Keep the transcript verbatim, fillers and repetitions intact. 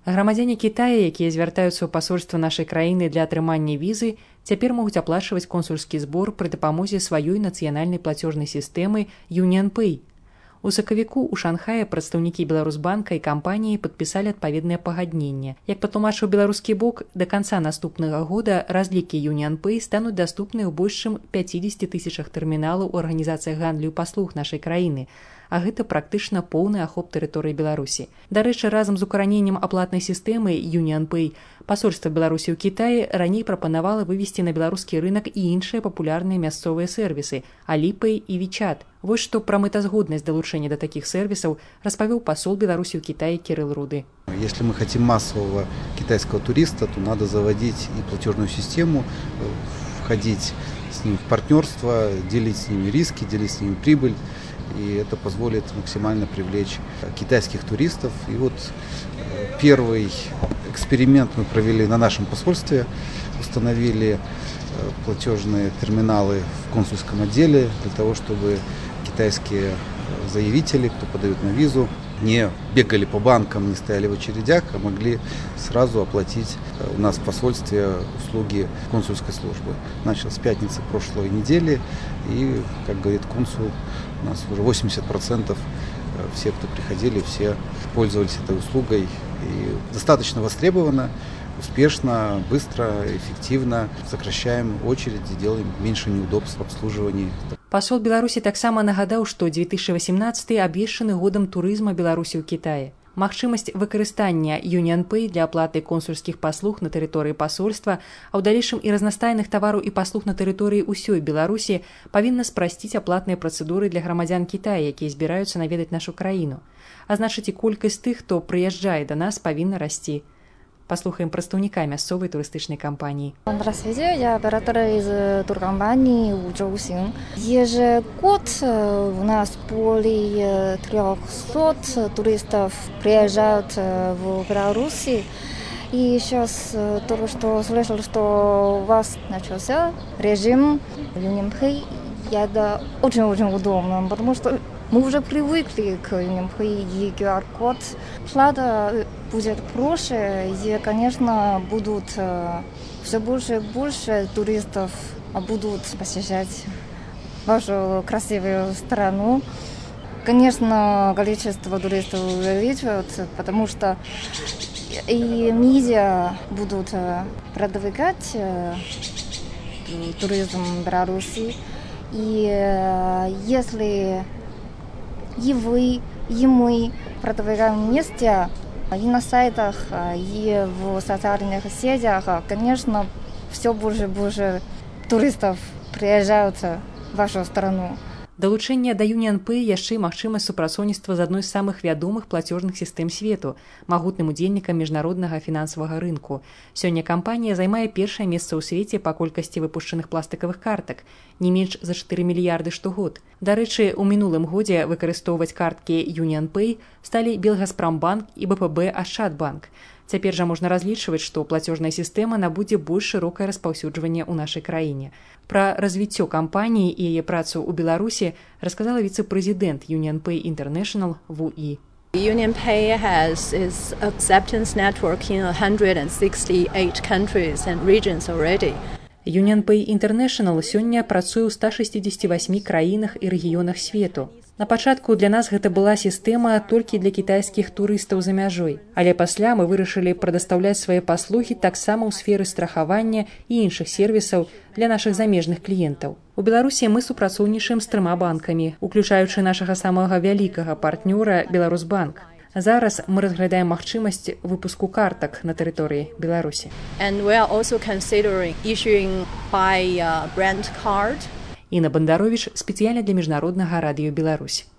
Грамадзяне Кітая, якія звяртаюцца ў пасольства нашай краіны для атрымання візы, цяпер могуць аплачваць консульскі збор пры дапамозе сваёй нацыянальнай плацёжнай сістэмы UnionPay. У сакавіку ў Шанхаі прадстаўнікі Беларусбанка і кампаніі падпісалі адпаведнае пагадненне. Як патлумачыў беларускі бок, да канца наступнага года разлікі UnionPay стануць даступныя ў больш чым пяцідзесяці тысячах тэрміналаў у арганізацыях гандлю і паслуг нашай краіны, а гэта практычна поўны ахоп тэрыторыі Беларусі. Дарэчы, разам з укараненнем аплатнай сістэмы UnionPay пасольства Беларусі ў Кітаі раней прапанавала вывесці на беларускі рынак і іншыя папулярныя мясцовыя сервісы Alipay і WeChat. Вось што пра мэтазгоднасць далучэння да такіх сервісаў распавёў пасол Беларусі ў Китае Кирилл Руды. Если мы хотим массового китайского туриста, то надо заводить и платежную систему, входить с ним в партнерство, делить с ними риски, делить с ними прибыль. И это позволит максимально привлечь китайских туристов. И вот первый эксперимент мы провели на нашем посольстве. Установили платежные терминалы в консульском отделе для того, чтобы китайские заявители, кто подают на визу, не бегали по банкам, не стояли в очередях, а могли сразу оплатить у нас в посольстве услуги консульской службы. Начал с пятницы прошлой недели, и, как говорит консул, у нас уже восемьдесят процентов все, кто приходили, все пользовались этой услугой. И достаточно востребовано, успешно, быстро, эффективно сокращаем очереди, делаем меньше неудобств в обслуживании. Пасол Беларусі таксама нагадаў, што две тысячы восемнадцаты абвешчаны годам турызма Беларусі ў Кітаі. Магчымасць выкарыстання UnionPay для аплаты консульскіх паслуг на тэрыторыі пасольства, а ў далейшым і разнастайных тавараў і паслуг на тэрыторыі ўсёй Беларусі павінна спрасціць аплатныя працэдуры для грамадзян Кітая, якія збіраюцца наведаць нашу краіну. А значыць, і колькасць тых, хто прыязджае да нас, павінна расці. Послухаем прадстаўніка мясцовай турыстычнай кампаніі. Здравствуйте, я оператор из туркомпании Ужоусин. Ежегод у нас более трехсот туристов приезжают в Беларусь. И сейчас только что слышал, что у вас начался режим UnionPay. Это очень-очень удобно, потому что мы уже привыкли к UnionPay и ку ар-код. Плата будет проще, и, конечно, будут все больше и больше туристов будут посещать вашу красивую страну. Конечно, количество туристов увеличивается, потому что и медиа будут продвигать туризм в Беларуси. И если и вы, и мы продвигаем вместе и на сайтах, и в социальных сетях, конечно, все больше и больше туристов приезжают в вашу страну. Далучэнне да UnionPay яшчэ і магчымасць супрацоўніцтва з адной з самых вядомых плацежных сістэм свету, магутным удзельнікам міжнароднага фінансавага рынку. Сёння кампанія займае першае месца ў свеце па колькасці выпушчаных пластыкавых картак, не менш за чатыры мільярды штогод. Дарэчы, у мінулым годзе выкарыстоўваць карткі UnionPay сталі Белгазпромбанк і бэ пэ бэ Ашчадбанк. Цяпер жа можна разлічваць, што плацежная сістэма набудзе больш шырокае распаўсюджванне ў нашай краіне. Пра развіццё кампаніі і яе працу ў Беларусі расказала віцэ-прэзідэнт UnionPay International Ву І. UnionPay has its acceptance network in one hundred sixty-eight countries and regions already. UnionPay International сёння працуе ў ста шэсцідзесяці васьмі краінах і рэгіёнах свету. На пачатку для нас гэта была сістэма толькі для кітайскіх турыстаў за мяжой, але пасля мы вырашылі прадастаўляць свае паслугі таксама ў сферы страхавання і іншых сервісаў для нашых замежных кліентаў. У Беларусі мы супрацоўнічаем з трыма банкамі, уключаючы нашага самага вялікага партнёра Беларусбанк. Зараз мы разглядаем магчымасць выпуску картак на тэрыторыі Беларусі. And we are also considering issuing by brand card. Інна Бандаровіч спецыяльна для міжнароднага радыё Беларусь.